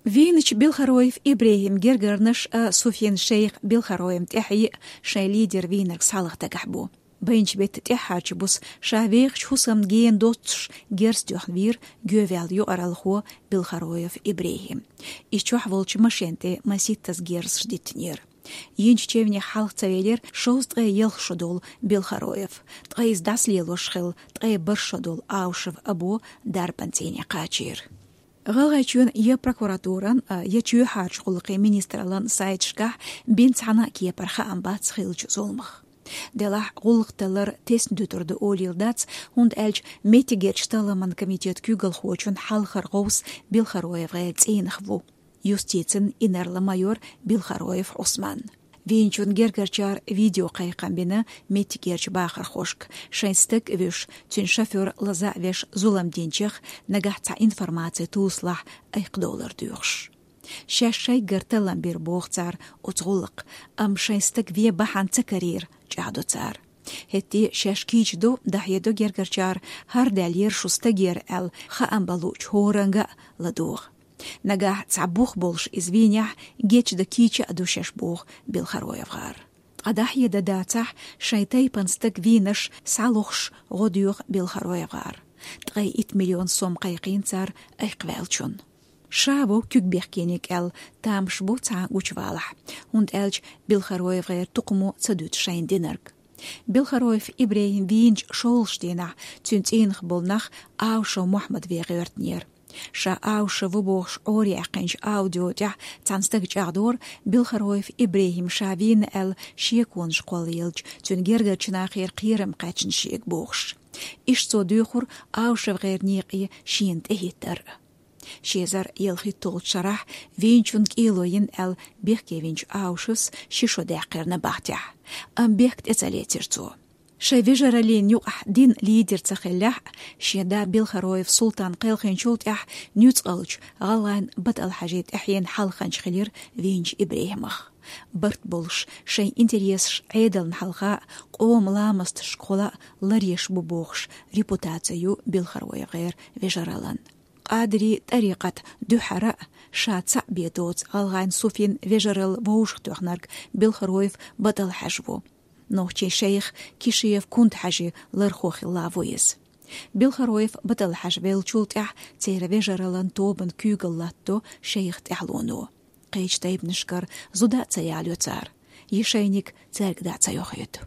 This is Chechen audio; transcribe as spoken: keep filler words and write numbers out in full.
Вийначу Белхароев Ибрехим гергарнаш а Суфин шайх Белхароевна тӀаьхье а шайн лидер вийнарг схьалаха дагахь бу. Байначу беттан тӀаьххьарчу буса ша вехачу хӀусамна гена доццуш герз тоьхна вийра гӀеваьлла юкъаралхо Белхароев Ибрехим. Иза чохь волчу машен тӀе маситтаза герзаш диттинера. Йинчу чевнех хьалха ца велира шовзткъе ялх шо долу Белхароев. Ткъа иза дӀасалелош хилла ткъе бархӀ шо долу Аушев Або дарбан цӀийне кхачийра. ГӀалгӀайчоьнан я прокуратуран, а, я чоьхьарчу гӀуллакхийн министраллан сайташкахь бина цхьана а кепара хаам бац хиллачу зуламах. Делахь гӀуллакх таллар тесна дуьтур ду олийла дац, хӀунда аьлча меттигерчу талламан комитет куьйгалхочун хьалхара гӀовс БелхароевгӀеран цӀийнах ву, юстицин инарла-майор Белхароев Ӏусман. Вийначун гергарчара видеокхайкхам бина меттигерчу бахархошка, шайн стаг а вуьйш, цуьнан шофёр лаза а веш зулам динчех, нагахь цхьа информаци тосалахь айкхадовлар доьхуш. Шаьш шайгара таллам бира, боху цара, оцу гӀуллакха, амма шайн стаг вен бахьана ца карийра, чӀагӀдо цара. ХӀетте а шаьш кийча ду, дӀахьедо гергарчара, хӀара даьллера шун стагера аьлла, хаам бан луучу хӀоранга а ладогӀа. Нагахь цхьа бух болуш иза вийнехь, гечдан кийча а ду шаьш, боху БелхароевгӀар. Ткъа дӀахьедан дацахь, шайн тайпана стаг вийнарш схьалохуш гӀо доьху БелхароевгӀар. Ткъе итт миллион сом кхайкхийна цара айкхваьллачунна. Ша вовшах куьг бехкийнарг аьлла тамаш бу цхьа гучувалахь, хӀунда аьлча БелхароевгӀеран тукхамо ца дуьту шайна динарг. Белхароев Ибрехим вийначу шолгӀачу дийнахь цуьнан цӀийнах болу нах Аушев Мухьаммад вен гӀоьртинера. Ша Аушев ву бохуш Ӏораяьккхинчу аудио тӀехь цхьана стага чӀагӀдора, Белхароев Ибрехим ша вийна аьлла шеконаш кхоллаелча, цуьнан гергарчу нахера кхерам кхаьчна шега бохуш. Иштта цо доьхура АушевгӀеран некъе шена тӀехӀиттар а. Ши эзар ялхитта шарахь вийначунна кӀело йина аьлла бехке винчу Аушевс ши шо даьккхира набахтехь, амма бехк тӀе ца лецира цо. Шайн вежараллина юкъахь динан лидер ца хиллехь а, шен да Белхароев Султан кхелхинчул тӀаьхьа нуьцкъалчу ГӀалгӀайн БатӀал-Хьаьжин тӀаьхьенна хьалханча хилира вийначу Ибрехимах. Барт болуш, шайн интересаш Ӏедална хьалха а, къоман ламасташкахула а ларъеш бу бохуш репутаци ю БелхароевгӀеран вежараллин. Къадирийн тӀарикъатна дуьххьара а, ша цхьаъ бен доцу ГӀалгӀайн Суфин вежаралла вовшахтоьхнарг Белхароев БатӀал-Хьаьжа ву. Нохчийн шайх Кишиев Кунта-Хьаьжин лархо хилла ву иза. Белхароев БатӀал-Хьаьжа веллачул тӀаьхьа церан вежараллин тобанна куьйгалла латтадо шайх тӀаьхьалоно. Кхечу тайпанашкара зуда а ца ялайо цара, я шайниг цаьрга дӀа а ца йохуьйту.